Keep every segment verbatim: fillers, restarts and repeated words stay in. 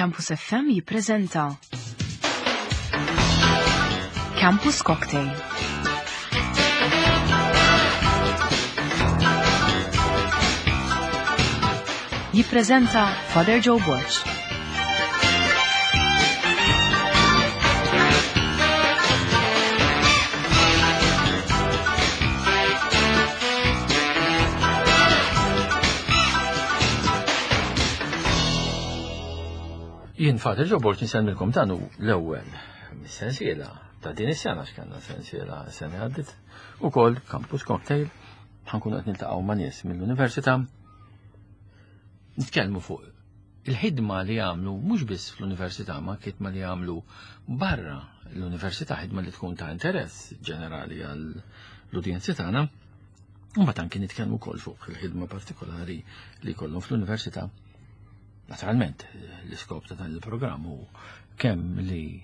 Campus F M jippreżenta Campus Cocktail. Jippreżenta Father Joe Borg. Jien Father Joe Borg nsellmilkom. Dan hu l-ewwel mis-sensiela ta' din is-sena, x'kellna sensiela sena għaddit ukoll, Campus Cocktail. Ħa nkunu qed niltaqgħu ma' nies mill-università, nitkellmu fuq il-ħidma li jagħmlu mhux biss fl-università ma ħidma li jagħmlu barra l-università, ħidma li tkun ta' interess ġenerali għall-udjenzi tagħna. U mbagħad anki nitkellmu wkoll fuq il-ħidma partikolari li jkollhom fl-università. Naturalment, l-iskop ta' dan il-programm hu kemm li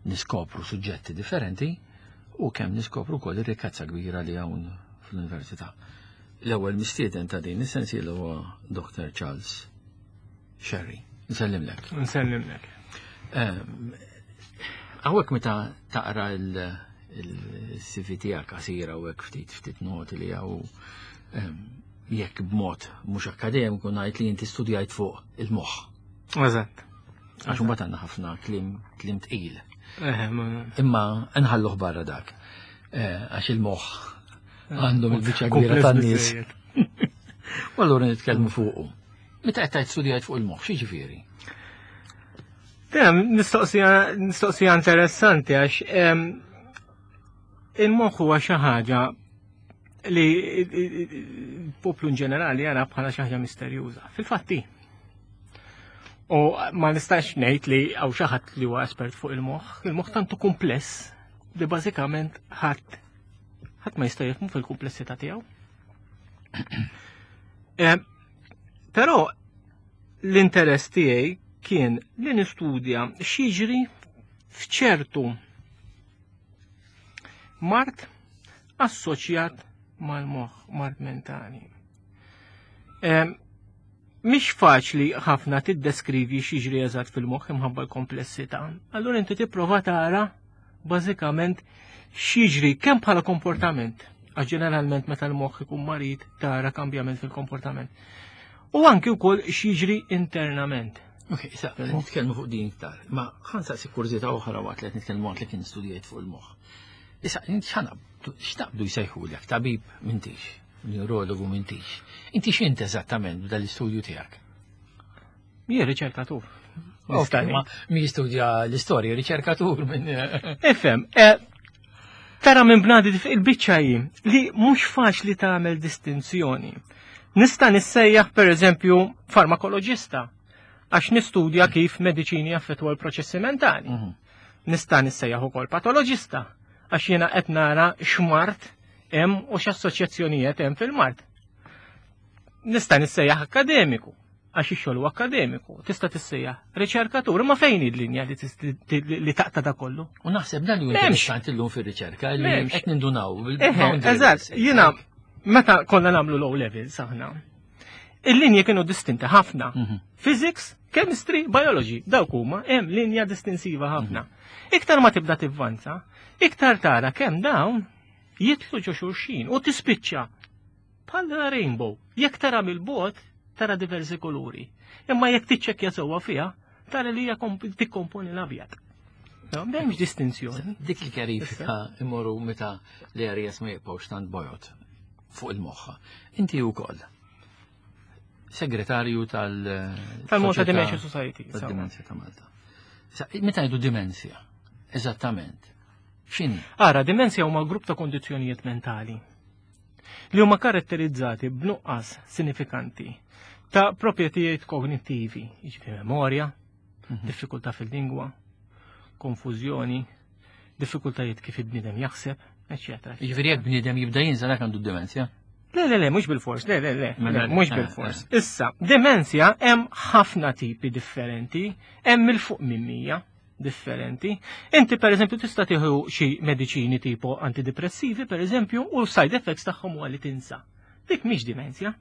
niskopru suġġetti differenti u kemm niskopru wkoll ir-rikkezza kbira li hawn fl-università. L-ewwel mistieden ta' din is-sensiela huwa Doctor Charles Scerri. Nsellimlek. Nsellimlek. Hawnhekk meta taqra il-C V tiegħek qasira u hekk, ftit ftit noti li hawn, jekk b'mod mhux akademiku ngħid li inti studjajt fuq il-moħħ. Eżatt. Għax imbagħad għandna ħafna kliem kliem tqil. Imma nħalluh barra dak. Eh, għax il-moħħ għandhom il-biċċa kbira tan-nies. U allura nitkellmu fuqu. Meta qed tgħid studjajt fuq il-moħħ, x'jiġifieri? Mistoqsija interessanti, għax il-moħħ huwa xi ħaġa li il-poplu in ġenerali jara bħala xi ħaġa misterjuża. Fil-fatti. U ma nistax ngħid li hawn xi ħadd li huwa espert fuq il-moħħ. Il-moħħ tantu kumpless li bażikament ħadd ħadd ma jista' jifhmu fil-kumplessità tiegħu. Eh, però l-interess tiegħi kien li nistudja x'jiġri f'ċertu mard assoċjat mal-moħħ, mard mentali. Mhix faċli ħafna tiddeskrivi x'jiġri eżatt fil-moħħ imħabba l-komplessità. Allura inti tipprova tara bażikament x'jiġri kemm bħala komportament, għax ġeneralment meta l-moħħ ikun marid tara kambjament fil-komportament. U anki wkoll x'jiġri internament. Ok, issa nitkellmu fuq din iktar, ma ħa nsaqsi kurżità oħra waqt li qed nitkellmu, waqt li kien studjajt fuq il-moħħ. Issa, x'naqbdu jsejħulek? Tabib m'intix, neurologu m'intix. Inti x'int eżattament b'dal-istudju tiegħek? Jien riċerkatur. Ok, ma mi jistudja l-istorja, riċerkatur minn. Ifhem, eh, tara minn bnadi il-biċċa hi li mhux faċli tagħmel distinzjoni. Nista' nissejjaħ, per eżempju, farmakoloġista, għax nistudja kif mediċini jaffettwa l-proċessi mentali. Mhm. Nista' nissejjaħ ukoll patoloġista, għax jiena qed nara x'mard hemm u x'assoċjazzjonijiet hemm fil-mard. Nista' nissejjaħ akademiku, għax ix-xogħol huwa akademiku. Tista' tissejjaħ riċerkatur, ma fejn hi l-linja li tis- li li taqta' da kollu? U naħseb dan li M'hemmx. interessanti llum fir-riċerka li M'hemmx. qed nindunaw Eħe, bil-boundaries. eżatt, jiena meta konna nagħmlu l-O levels aħna, il-linji kienu distinti ħafna. Mhm. Physics, chemistry, biology, dawk huma hemm linja distinsiva ħafna. Iktar ma tibda tivvanza, iktar tara kemm dawn jidħlu ġo xulxin u tispiċċa bħal rainbow. Jekk tara mill-bogħod, tara diversi kuluri. Imma jekk tiċċekkja sewwa fiha, tara li hija komp- tikkomponi l-abjad. No, m'hemmx distinzjoni. Dik il-kjarifika imorru meta l-areas ma jibqgħux tant bojod fuq il-moħħa. Inti wkoll segretarju tal- Tal-Malta Soċjetà Dementia Society. Tad-Dimensja ta' Malta. Issa, meta ngħidu dimensja, eżattament, x'inhi? Ara, dimensja huma grupp ta' kondizzjonijiet mentali li huma karatterizzati b'nuqqas sinifikanti ta' proprjetajiet kognittivi, jiġifieri memorja, diffikultà fil-lingwa, konfużjoni, diffikultajiet kif il-bniedem jaħseb, eċċetera. Jiġifieri jekk bniedem jibda jinsa, dak għandu dimensja? Le, le, le, mhux bil-fors, le, le, le, Mela, le, mhux eh, bil-fors. Issa, demenzja hemm ħafna tipi differenti, hemm 'il fuq minn mija differenti. Inti, per eżempju, tista' tieħu xi mediċini tipo antidepressivi, per eżempju, u side effects tagħhom huwa li tinsa. Dik mhix dimenzja.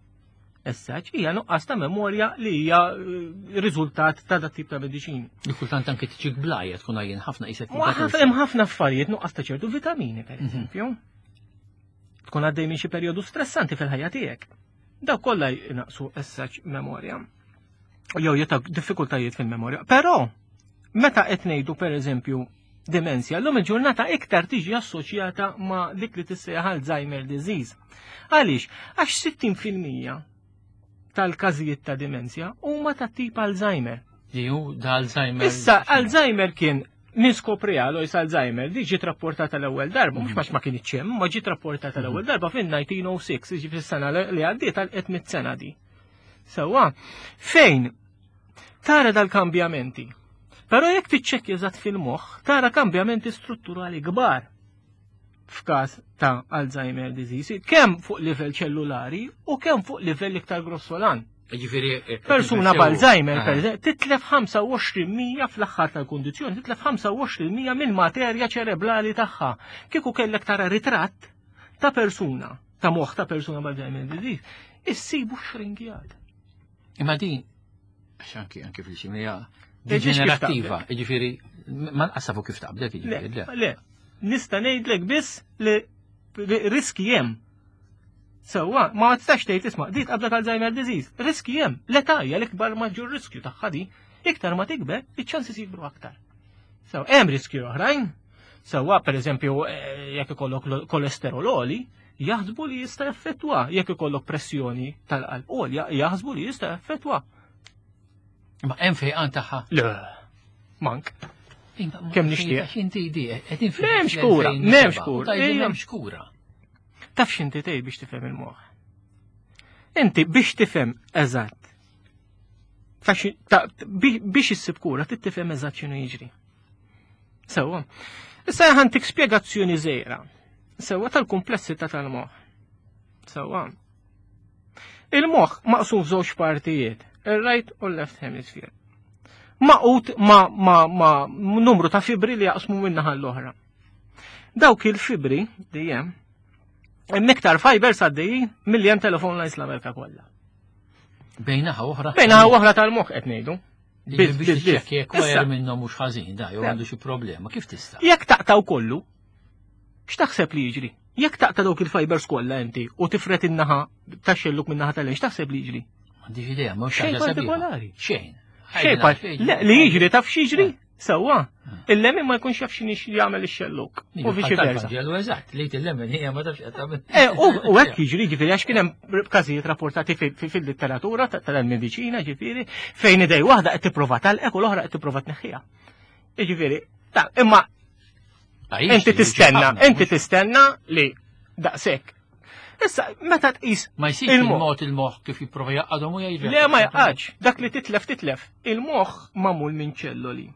Essaċ, hija nuqqas ta' memorja li hija eh, riżultat ta' dat tip ta' mediċini. Li kultant anke tiġik blajja tkun għajjen ħafna qisek. Ma ħaf- hemm ħafna affarijiet nuqqas ta' ċertu vitamini, per Mhm. eżempju. Tkun għaddej minn xi perjodu stressanti fil-ħajja tiegħek. Daw kollha jnaqsu essaċ memorja. Jew jeta diffikultajiet fil-memorja. Però meta qed ngħidu per eżempju demenzja, llum il-ġurnata iktar tiġi assoċjata ma' dik li tissejjaħ Alzheimer disease. Għaliex? Għax sittin fil-mija tal-każijiet ta' demenzja huma ta' tip Alzheimer. Li hu da Alzheimer. Issa, Alzheimer kien niskopri Alois Alzheimer, di ġiet rapportata l-ewwel darba, mhux għax ma kienx hemm, ma ġiet rapportata l-ewwel darba fin-elf disa' mija u sitta, ġi fis-sena li għaddiet għal tliet mitt sena di. Sewwa, fejn tara dal-kambjamenti. Però jekk tiċċekkja eżatt fil-moħħ, tara kambjamenti strutturali kbar f'każ ta' Alzheimer disease, kemm fuq livell ċellulari u kemm fuq livell iktar grossolan. Ġifieri eh, Persuna b'Alzheimer, Ah. per eżempju, titlef ħamsa u għoxrin fil-mija fl-aħħar tal-kundizzjoni, titlef ħamsa u għoxrin fil-mija mill-materja ċerebrali tagħha. Kieku kellek tara ritratt ta' persuna, ta' moħħ ta' persuna b'Alzheimer disease, issibu xringjat. Imma din, għax anki anki fil-ximija, Ġiġ kif deġenerattiva, ġifieri, ma nqasafu kif taqbdek, Le, ġifieri, le. le, nista' ngħidlek biss li li riski hemm. Sewwa, ma tistax tgħid isma' di tqabdek Alzheimer disease. Riski hemm. L-età hija l-ikbar maġġur riskju tagħha di. Iktar ma tikber, iċ-ċansi jikbru aktar. Sew, hemm riskju oħrajn. Sewwa, per eżempju, eh, jekk ikollok lo- kolesterol għoli, jaħsbu li jista' jaffettwa. Jekk ikollok pressjoni tal-qalb għolja, jaħsbu li jista' jaffettwa. Ma hemm fejqan tagħha. Le, mank. Kemm nixtieq. Inti di, qegħdin fil- M'hemmx kura, m'hemmx kura. Tajdu Ejja. m'hemmx kura. Taf x'inti tgħid biex tifhem il-moħħ? Inti biex tifhem eżatt. Ta' xi- ta' bi- biex issib kura trid tifhem eżatt x'inhu jiġri. Sewwa. Issa ħantik spjegazzjoni żgħira. Sewwa tal-kumplessità tal-moħħ. Sewwa. Il-moħħ maqsum f'żewġ partijiet, il-right u l-left hemisphere. Magħqud ma, ma, ma numru ta' fibri li jaqsmu min-naħa l-oħra. Dawk il-fibri dejjem hemm iktar fibers għaddejjin milli hemm telephone lines l-Amerika kollha. Bejnaħa oħra. Bejna oħra tal-moħħ qed ngħidu. Biex Biz, biz, biz. tiċċekkja jekk Issa, wire minnhom mhux ħażin, da, jew Le. għandu xi problema, kif tista'? Jekk taqtaw kollu, x'taħseb li jiġri? Jekk taqta' dawk il-fibers kollha inti u tifret in-naħa tax-xelluk min-naħa tal x'taħseb li jiġri? M'għandix idea, mhux Xejn ħaġa sabiħa. partikolari. Xejn. Xejn par- Le, li jiġri taf x'jiġri? Sewwa. Il-lemin ma jkunx jaf x'inhi jagħmel ix-xelluk. U viċi versa. Ġelu eżatt, li til-lemin hija ma tafx qed tagħmel. Eh, U u hekk jiġri ġifieri għax kien hemm każijiet rapportati fi- fi- fil-litteratura ta- tal-mediċina ġifieri fejn idej waħda qed tipprova talqek u l-oħra qed tipprova tneħħiha. Jiġifieri, ta' imma inti tistenna, inti tistenna li daqshekk. Issa, meta tqis Ma jsir il-moħħ. il-mod il-moħħ kif jipprova jaqadhom u jgħid. Le ma jaqgħadx, dak li titlef titlef. Il-moħħ magħmul minn ċelloli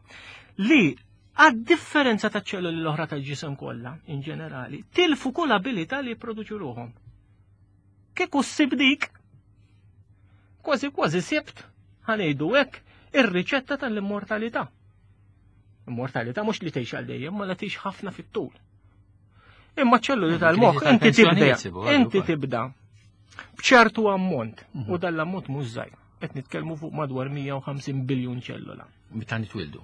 li għad differenza ta' ċelloli l-oħra tal-ġisem kollha, in ġenerali, tilfu kull abilità li jipproduċu ruħhom. Kieku ssib dik, kważi kważi sibt, ħa ngħidu hekk, ir-riċetta tal-immortalità. Immortalità mhux li tgħix għal dejjem, ma la tgħix ħafna fit-tul. Imma ċelluli tal-moħħ inti tibda, inti tibda bċertu ammont, u dan l-ammont mhux żgħir. Qed nitkellmu fuq madwar mija u ħamsin biljun ċellola. Meta nitwildu.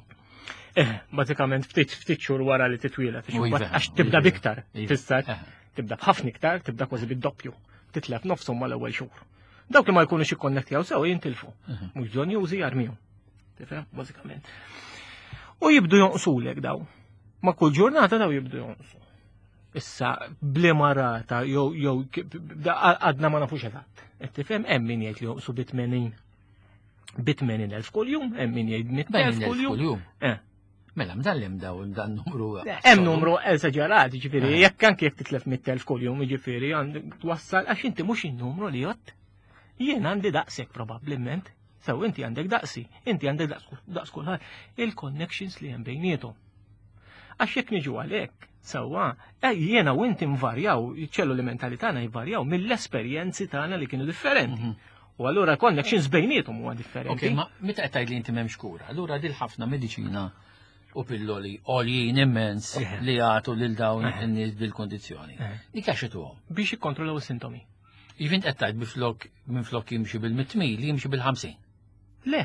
Eh, bażikament ftit ftit xhur wara li titwieled, U iva, għax tibda iva. biktar, Iva. tista' Eh. tibda b'ħafna iktar, tibda kważi bid-doppju. Titlef nofshom mal-ewwel xhur. Dawk li ma jkunux ikkonnettjaw sew jintilfu. Mhm. Mhux bżonn jużi jarmihom. Tifhem, bażikament. U jibdu jonqsulek daw. Ma kull ġurnata daw jibdu jonqsu. Issa bliema rata jew jew da- għadna ma nafux eżatt. Qed tifhem, hemm min jgħid li jonqsu bi tmenin bi tmenin elf kuljum, hemm min jgħid mitt elf kuljum. Kuljum. Eh. Mela, mdallem daw dan numru. Hemm numru eżaġerat, ġifieri, Eh. jekk anke jekk titlef mitt elf kuljum, ġifieri, għandek twassal għax inti mhux in-numru li jgħod. Jien għandi daqshekk probabbilment. Sew inti għandek daqsi, inti għandek daqs daqs kulħadd. Il-connections li hemm bejniethom. Għax jekk niġu għalhekk, sewwa, eh, jiena u inti nvarjaw, iċ-ċelluli mentali tagħna jvarjaw mill-esperjenzi tagħna li kienu differenti. Mhm. U allura connections bejniethom huwa Ok, differenti. ma meta qed tgħid li inti m'hemmx kura, allura dil ħafna mediċina u pilloli għoljin immens Eh. li jagħtu lil dawn Eh. in-nies bil-kondizzjoni. Eh. Dik għax ituhom. Biex jikkontrollaw is-sintomi. Jivint qed tgħid biflok minflok jimxi bil-mitt mil, jimxi bil-ħamsin. Le.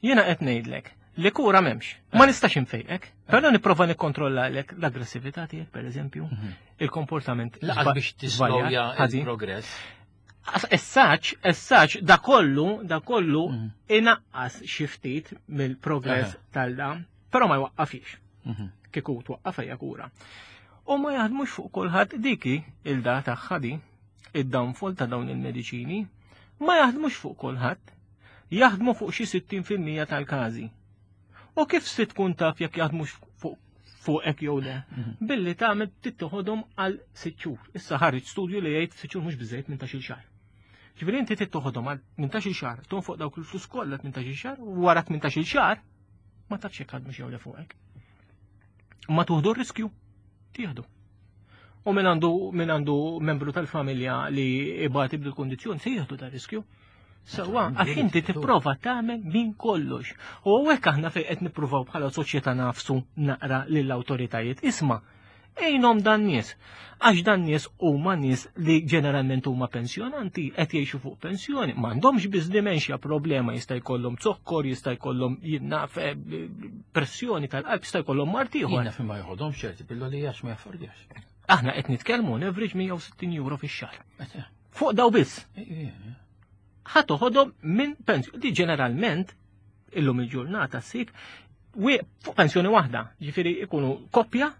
Jiena qed ngħidlek li kura m'hemmx. Ma nistax infejqek, però nipprova nikkontrollalek l-aggressività tiegħek, pereżempju, il-komportament. Lanqas biex tislowja il-progress. Essaċ, essaċ, da kollu, da kollu mhm. inaqqas xi ftit mill-progress tal-da, però ma jwaqqafix. Mhm. Kieku twaqqaf hija kura. U ma jaħdmux fuq kulħadd diki il-da tagħha di, id-downfall ta' dawn il-mediċini, ma jaħdmux fuq kulħadd, jaħdmu fuq xi sittin fil-mija tal-każi. U kif se tkun taf jekk jaħdmux fuq fuqek jew le? Mhm. Billi tagħmel tittoħodhom għal sitt xhur. Issa ħareġ studju li jgħid sitt xhur mhux biżejjed minn ta' xahar. Ġifieri inti tittoħodhom għal tmintax-il xahar, tonfoq dawk il-flus kollha tmintax-il xahar, u wara tmintax-il xahar ma tafx jekk ħadmux jew le fuqek. Ma tuħdu r-riskju, tieħdu. U min għandu min għandu membru tal-familja li ibati bil-kondizzjoni se jieħdu da riskju. Sewwa, għax inti tipprova tagħmel minn kollox. U hekk aħna fejn qed nippruvaw bħala soċjetà nafsu naqra lill-awtoritajiet. Isma', ejnhom dan nies. Għax dan nies huma nies li ġeneralment huma pensjonanti, qed jgħixu fuq pensjoni, m'għandhomx biss dementia problema, jista' jkollhom zokkor, jista' jkollhom jinnaf eh, pressjoni tal-qalb, jista' jkollhom mard ieħor. Jiena ma jħodhom ċerti pilloli għax ma jaffordjax. Aħna qed nitkellmu on average mija u sittin euro fix-xahar. Fuq daw biss. Ħa toħodhom minn pensjoni. Di ġeneralment illum il-ġurnata ssib fuq pensjoni waħda, ġifieri ikunu koppja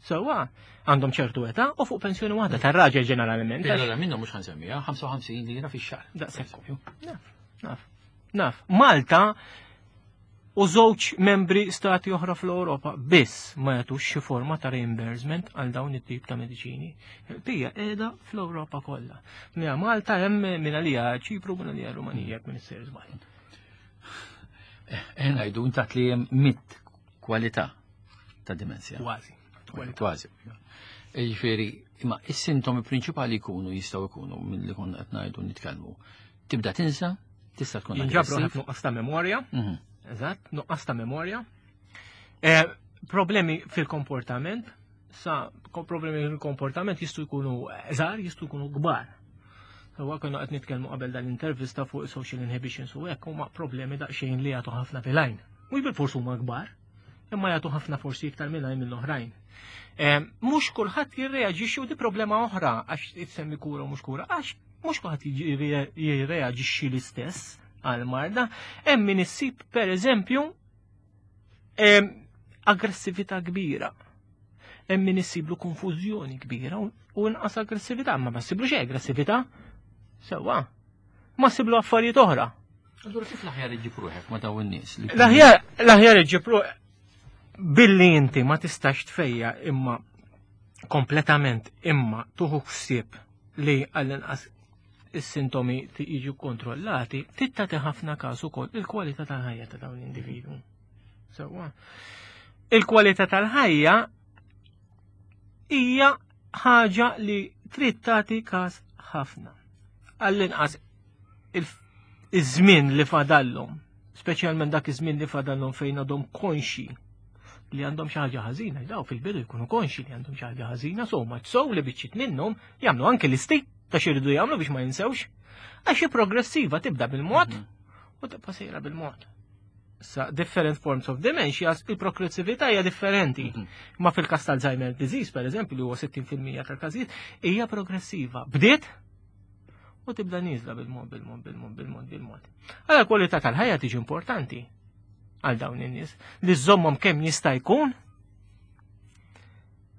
sewwa għandhom ċertu età u fuq pensjoni waħda tar-raġel ġeneralment. Allora minnhom mhux ħansemmija ħamsa u ħamsin lira fix-xahar. Daqshekk. Naf, naf, naf. Malta u żewġ membri stati oħra fl-Ewropa biss ma jagħtux xi forma ta' reimbursement għal dawn it-tip ta' mediċini. Pija qiegħda fl-Ewropa kollha. Mija Malta hemm minn għalija Ċipru, minn għalija Rumanija, jekk minn issir żball. Eh, ngħidu intat li hemm mitt kwalità ta' dimensja. Kważi. Kważi. Jiġifieri, imma is-sintomi prinċipali jkunu jistgħu jkunu milli konna qed ngħidu nitkellmu. Tibda tinsa, tista' tkun Jinġabru aggressiv. ħafna nuqqas ta' memorja. Mhm. Eżatt, nuqqas ta' memorja. Eh, problemi fil-komportament, sa ko-, problemi fil-komportament jistgħu jkunu żgħar, jistgħu jkunu kbar. Huwa konna qed nitkellmu qabel dan l-intervista fuq social inhibitions u hekk huma problemi daqsxejn li jagħtu ħafna fil-għajn. Mhux bil-fors huma kbar, imma jagħtu ħafna forsi iktar mill-għajn mill-oħrajn. Eh, mhux kulħadd jirreaġixxi u di problema oħra għax itsemmi kura u mhux kura, għax mhux kulħadd jirre-, jirreaġixxi l-istess għal-marda. Hemm min issib pereżempju, em, aggressività kbira. Hemm min issiblu konfużjoni kbira u, u inqas aggressività, ma ma ssiblu xejn aggressività. Sewwa. Ma ssiblu affarijiet oħra. Allura kif l-aħjar iġġib ruħek ma dawn in-nies li L-aħjar, l-aħjar iġġib ruħek billi inti ma tistax tfejja imma kompletament imma tuħu ħsieb li għall-inqas is-sintomi jiġu kontrollati, tittati ħafna każ ukoll il-kwalità tal-ħajja ta' dawn l-individwu. Sewwa. Il-kwalità tal-ħajja hija ħaġa li trid tagħti każ ħafna. Għall-inqas il-, iż-żmien li fadallhom, speċjalment dak iż-żmien li fadallhom fejn għadhom konxi li għandhom xi ħaġa ħażina, daw fil-bidu jkunu konxi li għandhom xi ħaġa ħażina, so much so li biċċiet minnhom jagħmlu anke listi ta' xi jridu jagħmlu biex ma jinsewx. Għax hi progressiva tibda bil-mod Mhm. u tibqa' sejra bil-mod. Sa different forms of dementia, il-progressività hija differenti. Mhm. Ma fil-każ tal-Alzheimer disease, per eżempju, li huwa sittin fil-mija tal-każijiet, hija progressiva. Bdiet u tibda nieżla bil-mod, bil-mod, bil-mod, bil-mod, bil-mod. Għala kwalità tal-ħajja tiġi importanti għal dawn in-nies li żommhom kemm jista' jkun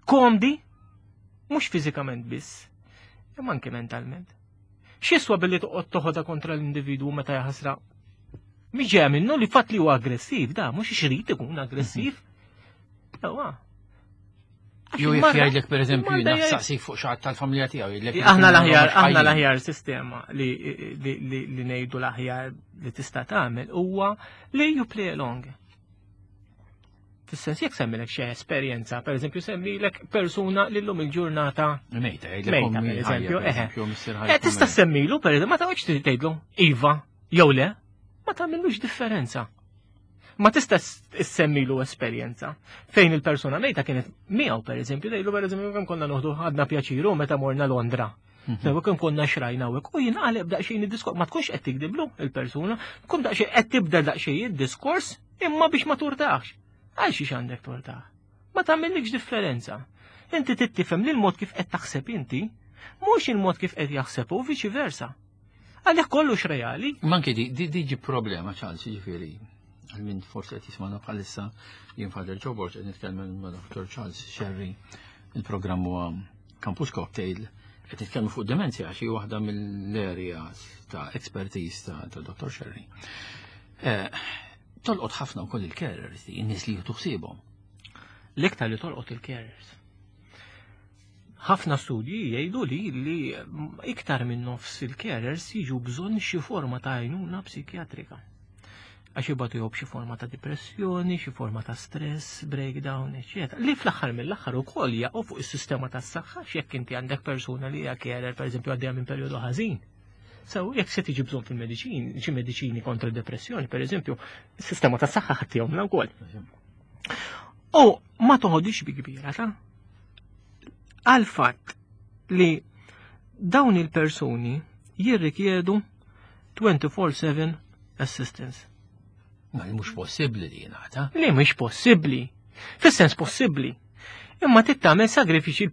komdi, mhux fiżikament biss, imma anke mentalment. X'jiswa billi toqgħod toħodha kontra l-individwu meta jaħasra? Mhix ġejja minnu li fatt li huwa aggressiv, da mhux ixrid ikun aggressiv. Ewa. Għax Jew jekk il-marda- jgħidlek pereżempju il-marda jiena jgħid- saqsik fuq xi ħadd tal-familja tiegħu jgħidlek Aħna jkunu l-aħjar, mhux aħna ħajjin. l-aħjar sistema li, li, li, li ngħidu l-aħjar li tista' tagħmel huwa li you play along. Fis-sens jekk semmilek xi esperjenza, pereżempju semmilek persuna li llum il-ġurnata Mejta, jgħidlek Mejta, ommi per eżempju, ħajja, per eħe. eżempju, missier Eh, ħajja tista' tkun semmilu, per eżempju, ma taqgħodx tgħidlu iva jew le, ma tagħmilux differenza. Ma tista' ssemmilu esperjenza fejn il-persuna mejta kienet miegħu per eżempju, tgħidlu per eżempju kemm konna noħdu ħadna pjaċiru meta morna Londra. Sewa kemm konna xrajna u hekk, u jinqaleb daqsxejn id-diskors, ma tkunx qed tikdiblu il-persuna, tkun daqsxejn qed tibda daqsxejn id-diskors imma biex ma turtax. Għal xiex għandek turtax? Ma tagħmillikx differenza. Inti tittifhem li l-mod kif qed taħseb inti, mhux il-mod kif qed jaħseb u viċi versa. Għalhekk kollox reali. Ma anke di di diġi problema, Charles, ġifieri, għal min forsi qed jismana bħalissa, jien Father Joe Borg, qed nitkellem ma' Doctor Charles Scerri, il-programm huwa Campus Cocktail, qed nitkellmu fuq demenzja għax hi waħda mill-areas ta' expertise ta' ta' Doctor Scerri. Eh, Tolqot ħafna wkoll il-carers, in-nies li jieħdu ħsiebhom. L-iktar li tolqot il-carers. Ħafna studji jgħidu li li iktar minn nofs il-carers jiġu bżonn xi forma ta' għajnuna psikjatrika. Għax jibatu jew b'xi forma ta' depressjoni, xi forma ta' stress, breakdown, eċċetera. Li fl-aħħar mill-aħħar ukoll jaqgħu fuq is-sistema tas-saħħa jekk inti għandek persuna li hija carer, pereżempju, għaddejja minn perjodu ħażin. So, jekk se tiġi bżonn fil-mediċini, xi mediċini kontra d-depressjoni, pereżempju, is-sistema tas-saħħa ħaddihom wkoll. U ma toħodix bi kbira ta' għal fatt li dawn il-persuni jirrikjedu twenty-four seven assistance. Ma li mhux possibbli li jingħata. Li mhux possibbli. Fis-sens possibbli. Imma trid tagħmel sagrifiċi,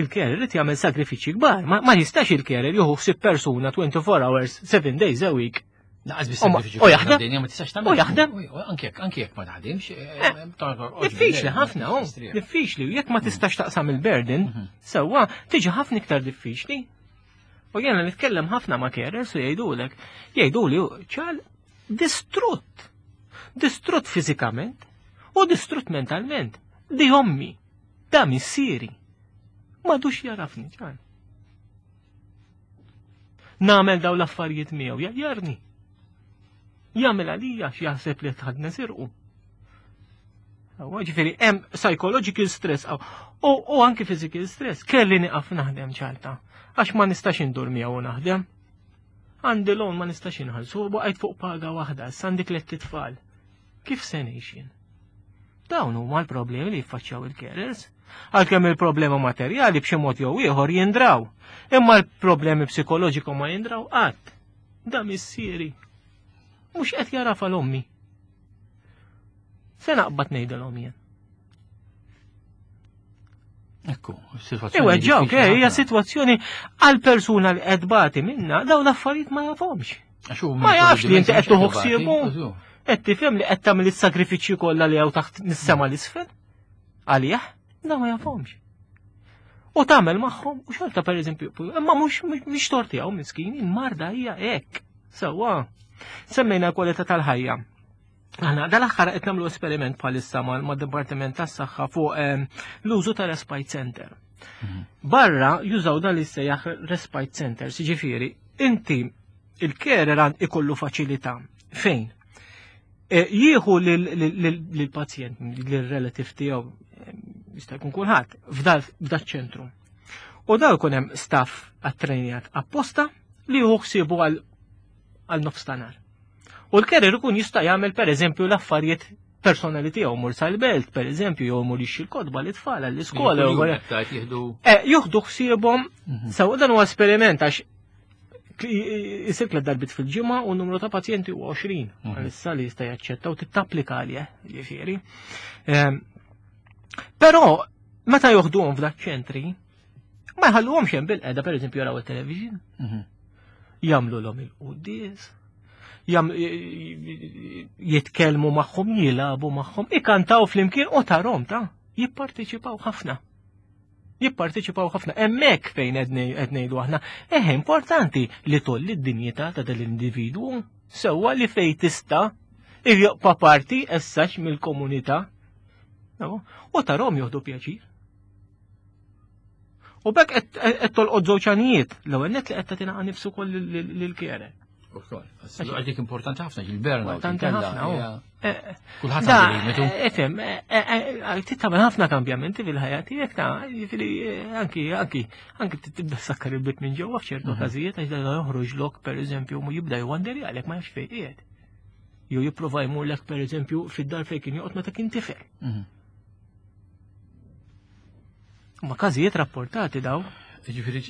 il-carer irid jagħmel sagrifiċi kbar. Ma, ma jistax il-carer jieħu ħsieb persuna twenty-four hours, seven days a week. Naqas bis U ma- sagrifiċi u jaħdem? Dinja ma tistax tagħmel. U jaħdem? U Anke jekk anke jekk ma taħdimx. eh, Diffiċli ħafna, oh, diffiċli. U jekk ma tistax taqsam il-burden, sewwa, tiġi ħafna iktar diffiċli. U jena nitkellem ħafna ma' carers u jgħidulek, jgħiduli ċal distrutt. Distrutt fiżikament u distrutt mentalment. Di ommi, da missieri. M'għadux jagħrafni, ċal. Nagħmel daw l-affarijiet miegħu, jgħajjarni. Jagħmel għalija x'jaħseb li tħadna sirqu. Ġifieri, hemm psychological stress u, u anki physical stress. Kelli nieqaf naħdem ċalta. Għax ma nistax indur miegħu u naħdem. Għandi loan ma nistax inħallsu, baqajt fuq paga waħda, issa għandi tlett itfal. Kif se ngħix jien? Dawn huma l-problemi li jiffaċċjaw il-carers. Għalkemm il-problema materjali b'xi mod jew ieħor jindraw. Imma l-problemi psikoloġiku ma jindraw qatt. Da missieri. Mhux qed jagħraf 'l ommi. Se naqbad ngħidilhom jien? Ekku, situazzjoni. Ewa, ġaw, diffiċli hija ħafna. sitwazzjoni għal persuna li qed bati minna, dawn l-affarijiet ma jafhomx. Għax hu Ma jafx li inti qed tuħu mhux ħsiebu. qed Qed tifhem li qed tagħmel is-sagrifiċċji kollha li hawn taħt nis-sema l-isfel? Għalih? Da ma jafhomx. U tagħmel magħhom u xorta, pereżempju, imma mhux mhux tort tiegħu miskin, il-marda hija hekk. Sewwa. Semmejna kwalità tal-ħajja. Aħna dal-aħħar qed nagħmlu esperiment bħalissa mal-Dipartiment tas-Saħħa fuq ehm, l-użu ta' respite center. Barra jużaw dan li sejjaħ respite centers, ġifieri, inti il-carer għand ikollu faċilità fejn e, jieħu lill-pazjent, lill-relative tiegħu, eh, jista' jkun kulħadd, f'dal ċentru. U daw jkun hemm staff attrejnjat apposta li jieħu ħsiebu għal għal nofs ta' nhar. U l-carer ikun jista' jagħmel, pereżempju, l-affarijiet personali tiegħu, mur sal-belt, pereżempju, jew mur jixtri l-kotba lit-tfal għall-iskola. jew wara- Jieħdu. Eh, Juħdu ħsiebhom, sew dan huwa esperiment għax jisir tliet darbit fil-ġimgħa u n-numru ta' pazjenti huwa għoxrin għalissa li jista' jaċċetta u tittapplika għalih, ġifieri. Ehm, Però meta joħduhom f'dak ċentri, ma jħalluhomx hemm bil-qeda, pereżempju, jaraw it-television, jagħmlu il-quddies, jam- jitkellmu magħhom, jilagħbu magħhom, ikantaw flimkien u tarahom ta' jipparteċipaw ħafna. Jipparteċipaw ħafna. Hemmhekk fejn qed ngħidu aħna, eh importanti li tolli d-dinjità ta' dal-individwu sewwa li fej tista' jibqa' parti essax mill-komunità. No? U tarahom jieħdu pjaċir. U bekk qed tolqod żewġ għanijiet. L-ewwel net li qed tagħtina nifsu wkoll lil-carer. Għadik importanti ħafna, il-burnout. Importanti ħafna, oh. Eh, Kulħadd Da, għandu limitu. Efhem, tagħmel ħafna kambjamenti fil-ħajja tiegħek ta' jiġifieri eh, anki anki anki tibda sakkar il-bit minn ġewwa f'ċertu każijiet għax da joħroġ lok, pereżempju, mu jibda jwander għalek ma jafx fejn qiegħed. Jew jipprova jmurlek, pereżempju, fid-dar fejn kien joqgħod meta kien tifel. Mhm. Ma każijiet rapportati daw. Ġifieri,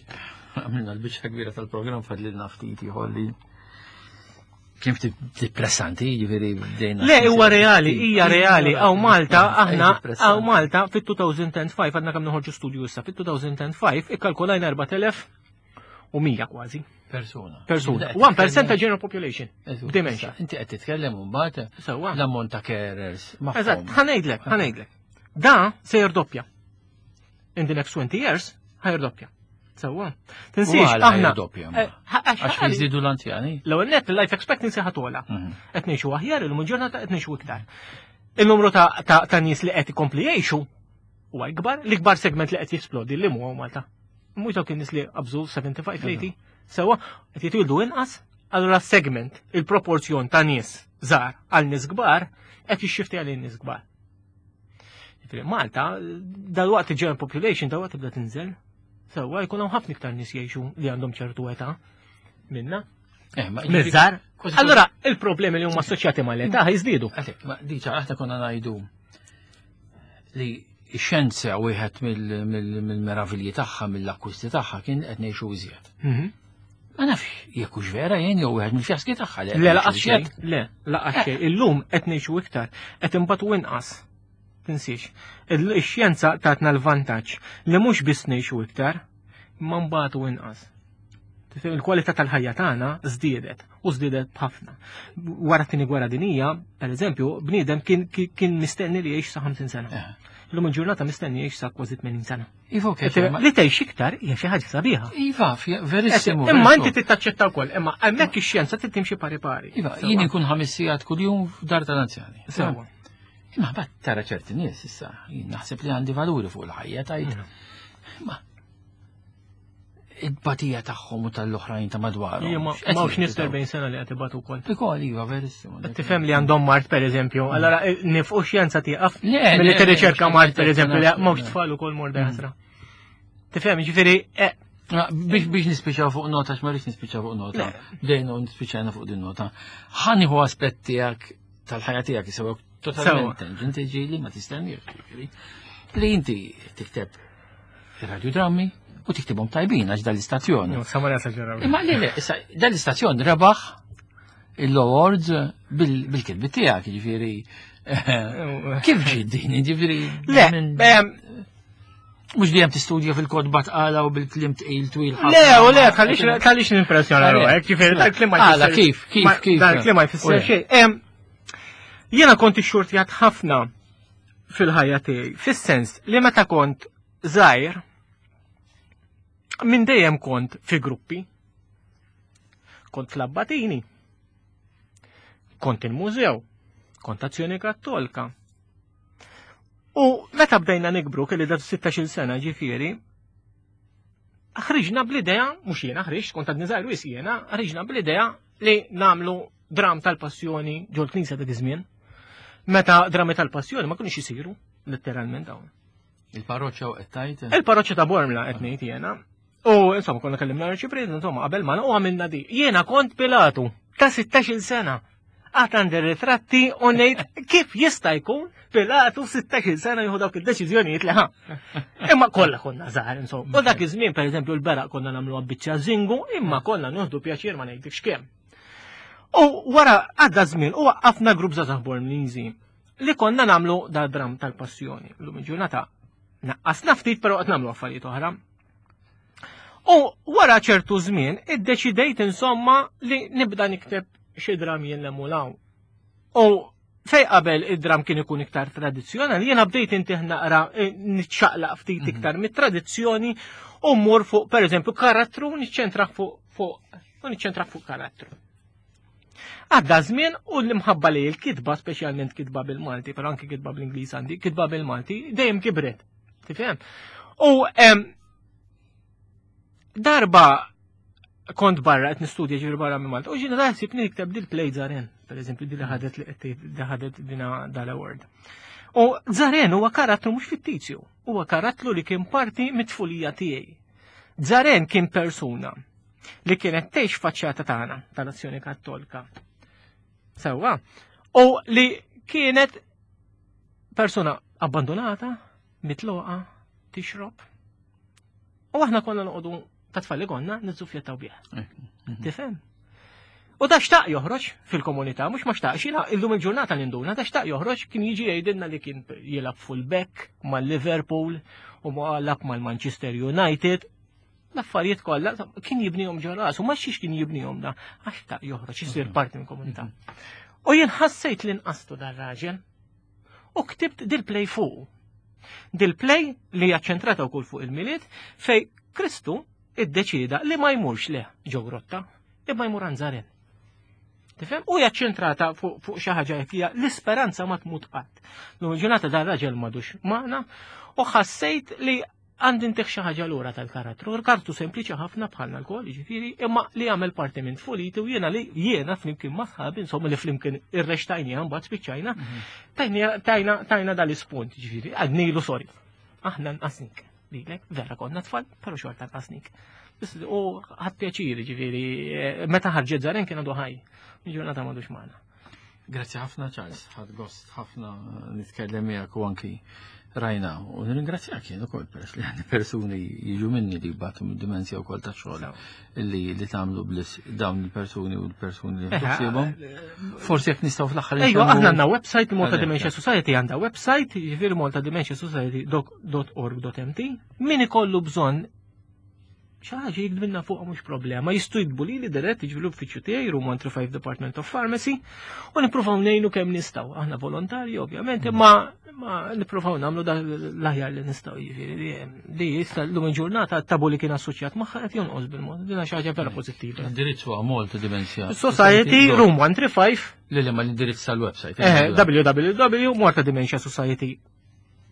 Għamilna l-biċċa kbira tal-programm, fadlilna ftit ieħor li kien ftit depressanti, jiġifieri bdejna. Le, huwa reali, hija reali. Hawn Malta, aħna, hawn Malta, fit-elfejn u ħamsa, għadna kemm noħorġu studju issa, fit-elfejn u ħamsa ikkalkulajna erbat elef u mija kważi. Persuna. Persuna. wieħed fil-mija ta' general population. Dementia. Inti qed titkellem mbagħad Sewwa. l-ammont ta' carers magħhom. Eżatt, ħa ngħidlek, ħa ngħidlek. Da se jirdoppja. In the next twenty years, ħa jirdoppja. Sewwa. Tinsiex, U għala aħna. jirdoppja, ma? Eh, għax Għax jiżdiedu l-anzjani. L-ewwel net, il-life expectancy ħa togħla. Mhm. Qed ngħixu aħjar illum il-ġurnata, qed ngħixu iktar. Il-numru ta' ta' ta' nies li qed ikompli jgħixu huwa ikbar, l-ikbar segment li qed jisplodi li huwa Malta. Mhux dawk in-nies li qabżu sebgħa u ħamsin tletin, sewwa, qed jitwildu inqas, allura segment, il-proporzjon ta' nies żgħar għal nies kbar qed jixxifti għal nies kbar. Jiġifieri Malta, dal-waqt il-general population dal-waqt tibda tinżel. Sewwa, jkun hawn ħafna iktar nies jgħixu li għandhom ċertu età minna. Eh, ma Miż-żgħar. Kważi- Allora, il-problemi li huma assoċjati mal-età jiżdiedu. Għalek, ma diċa, aħna konna ngħidu li x-xjenza wieħed mill-meravilji tagħha, mill-akkwisti tagħha kien qed ngħixu iżjed. Ma nafx jekk hux vera jien jew wieħed mill-fjaski tagħha li qed Le, ngħixu lanqas xejn. iżjed. Le, lanqas xejn. Illum qed ngħixu iktar, qed inbatu inqas. Tinsiex. Il-xjenza tatna l-vantaġġ li mhux biss ngħixu iktar, imma nbatu inqas. Tifhem, il-kwalità tal-ħajja tagħna żdiedet u żdiedet b'ħafna. Wara t-tieni gwerra dinija, per eżempju, bniedem kien kien mistenni li jgħix sa ħamsin sena. Eh. Illum il-ġurnata mistenni jgħix sa kważi tmenin sena. Iva, okej, ma- Li tgħix iktar hija xi ħaġa sabiħa. Iva, fja- verissimu. Imma inti verissimu. tittaċċetta wkoll, imma hemmhekk ix-xjenza trid timxi pari pari. Iva, jien inkun ħames sigħat kuljum f'dar tal-anzjani. Sewwa. Imma bat tara ċerti nies issa, jien naħseb li għandi valuri fuq il-ħajja tajt. Ma it-batija tagħhom u tal-oħrajn ta' madwarhom. Ija, ma X'qed m'hawnx nies jirrifjutaw? erbgħin sena li qed ibatu wkoll. Ukoll, iva, verissimu. Qed tifhem li għandhom mard, per eżempju, allora eh, nifqu xjenza tieqaf Le, milli le, tirriċerka le, mard, per eżempju, li le, m'hawnx le. tfal ukoll morda ħasra. Tifhem, ġifieri, eh, Ma, Biex biex nispiċaw fuq nota, x'ma rridx nispiċaw fuq nota. Le. Bdejna u nispiċajna fuq din nota. Ħa nieħu aspett tiegħek tal-ħajja tiegħek jisew totalment tangent ġieli ma tistenniex, ġifieri. Li inti tikteb radiodrammi u tiktibhom tajbin għax dal-istazzjon. no, sa ma nesaġeraw. Imma le, le, issa dal-istazzjon rebaħ il-awards bil-kitbi tiegħek, ġifieri. Kif ġiet din, ġifieri? Le, minn- ehm, Mhux dejjem tistudja fil-kotba tqala u bil-kliem tqil twil ħafna. Le, u le, tħallix tħallix nimpressjona Le. ruħek, ġifieri dal-kliem ma Għala, jfisser- kif, kif, ma- kif? Dal-kliem ma U jfisser le. xejn. Em, Jiena kont ixxurtjat ħafna fil-ħajja tiegħi, fis-sens li meta kont żgħir, minn dejjem kont fi gruppi. Kont fl-Abbatini, kont il-mużew, kont Azzjoni Kattolka. U meta bdejna nikbru, kelli da sittax-il sena ġifieri, ħriġna bl-idea, mhux jiena ħriġt, kont għadni żgħir wis jiena, ħriġna bl-idea li nagħmlu dram tal-passjoni ġol knisja dak iż-żmien. Meta drami tal-passjoni ma kienux isiru, letteralment dawn. Il-parroċċa u qed tgħid? Il-parroċċa ta' Bormla qed ngħid jiena. U insomma konna kellimna l-arċipriet, insomma qabel ma u għamilna di. Jiena kont Pilatu ta' sittax-il sena. Għad għandi ritratti u ngħid kif jista' jkun Pilatu sittax-il sena jieħu dawk id-deċiżjonijiet li ħa. Imma kollha konna żgħar insomma. U dak iż-żmien, pereżempju, l-beraq konna nagħmlu biċċa zingu, imma konna nieħdu pjaċir ma ngħidlekx kemm. U wara għadda żmien u waqqafna grupp żgħażagħ Bormliżi li konna nagħmlu da dram tal-passjoni. Illum il-ġurnata naqqasna ftit, però qed nagħmlu affarijiet oħra. U wara ċertu żmien iddeċidejt insomma li nibda nikteb xi dram jien lemulaw. U fej qabel id-dram kien ikun iktar tradizzjonali, jiena bdejt intih naqra eh, niċċaqlaq ftit iktar mit-tradizzjoni u mmur fuq, pereżempju, karattru, niċċentra fuq fuq u niċċentra fuq karattru. Għadda żmien u l-imħabba li l-kitba, speċjalment kitba bil-Malti, però anke kitba bl-Ingliż għandi, kitba bil-Malti, dejjem kibret. Tifhem? U em, darba kont barra qed nistudja, ġifieri barra minn Malta, u ġiena daħsib nikteb dil play Zaren, per eżempju, di li ħadet li qed li ħadet dina dal-award. U Zaren huwa karattru mhux fittizju, huwa karattru li kien parti mit-tfulija tiegħi. Zaren kien persuna li kienet tgħix faċċata tagħna tal-Azzjoni Kattolika. Sewwa. U li kienet persuna abbandonata, mitluqa, tixrob. U aħna konna noqogħdu Ta' tfal li konna niżżuffjettaw bih. Eh, mhm. Tifhem? U da xtaq joħroġ fil-komunità, mhux ma xtaqx, jiena illum il-ġurnata ninduna, da xtaq joħroġ, kien jiġi jgħidilna li kien jilgħab full-back mal-Liverpool u ma lagħab mal-Manchester United. L-affarijiet kollha kien jibnihom ġo rasu, ma xiex kien jibnihom da, għax xtaq joħroġ, isir parti minn komunità. U jien ħassejt li nqastu dar-raġel u ktibt dil-play fuq. Dil-play li hija ċentrata wkoll fuq il-Milied, fej Kristu iddeċida li ma jmurx le ġo grotta, imma jmur għand Żaren. Tifhem? U hija ċentrata fuq fuq xi ħaġa jekk hija l-isperanza ma tmut qatt. Lum il-ġurnata dar raġel m'għadux magħna u ħassejt li għandi ntih xi ħaġa lura tal-karattru. Karattru sempliċi ħafna bħalna lkoll, jiġifieri, imma li għamel parti minn tfuliti u jiena li jiena flimkien ma' sħabi, insomma, li flimkien irrextajni mbagħad spiċċajna, tajna tajna tajna dal-ispunt, jiġifieri, għednilu sorry. Aħna nqasnik. Lilek, vera konna tfal, però xorta nqasnik. Biss, u ħadt pjaċiri, ġifieri, eh, meta ħarġet Żaren kien għadu ħaj. Ġurnata m'għadux magħna. Grazzi ħafna, Charles, ħadt gost ħafna nitkellem miegħek u anki rajna. U nirringrazzjak jien ukoll, peress li għandi persuni jiġu minni li jbatu mid-dimensja wkoll ta' xogħol li li tagħmlu blis dawn il-persuni u l-persuni li ħsiebhom. Forsi jekk nistgħu fl-aħħar Ejwa, insemmu- aħna għandna website, Malta Għalhekk, Dementia Society għandha website, jiġifieri malta dementia society dot org dot M T. Min ikollu bżonn xi ħaġa jiktbilna fuq, mhux problema. Jistgħu jiktbu lili dirett, jiġifieri l-uffiċċju tiegħi, Room one three five, Department of Pharmacy, u nippruvaw ngħinu kemm nistgħu. Aħna volontarji ovvjament, imma ma nippruvaw nagħmlu da l-aħjar li nistgħu, jiġifieri li li jista' llum il-ġurnata tabu li kien assoċjat magħha qed jonqos bil-mod. Din xi ħaġa vera pożittiva. L-indirizz huwa Malta Dementia Society, Room one three five. Li li ma l-indirizz tal-website. eh, W W W dot Malta Dementia Society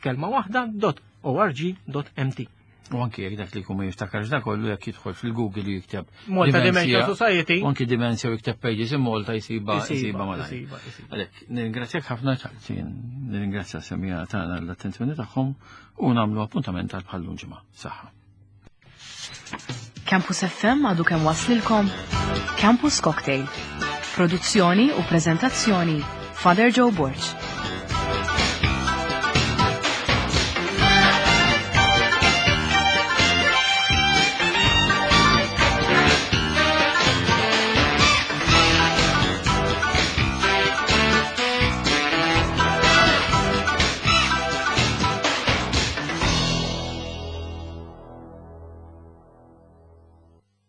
kelma waħda dot org dot M T. U anki jekk dak li jkun ma jiftakarx da kollu, jekk jidħol fil-Google u jikteb Malta Dementia Society. U anki Dementia u jikteb pages in Malta, jisiba jisiba malajr. Jisiba, jisiba. Għalhekk, nirringrazzjak ħafna, Charles, jien nirringrazzja semmiegħa tagħna l-attenzjoni tagħhom u nagħmlu appuntament għal bħal ġimgħa. Saħħa. Campus F M għadu kemm waslilkom Campus Cocktail. Produzzjoni u prezentazzjoni, Father Joe Borg.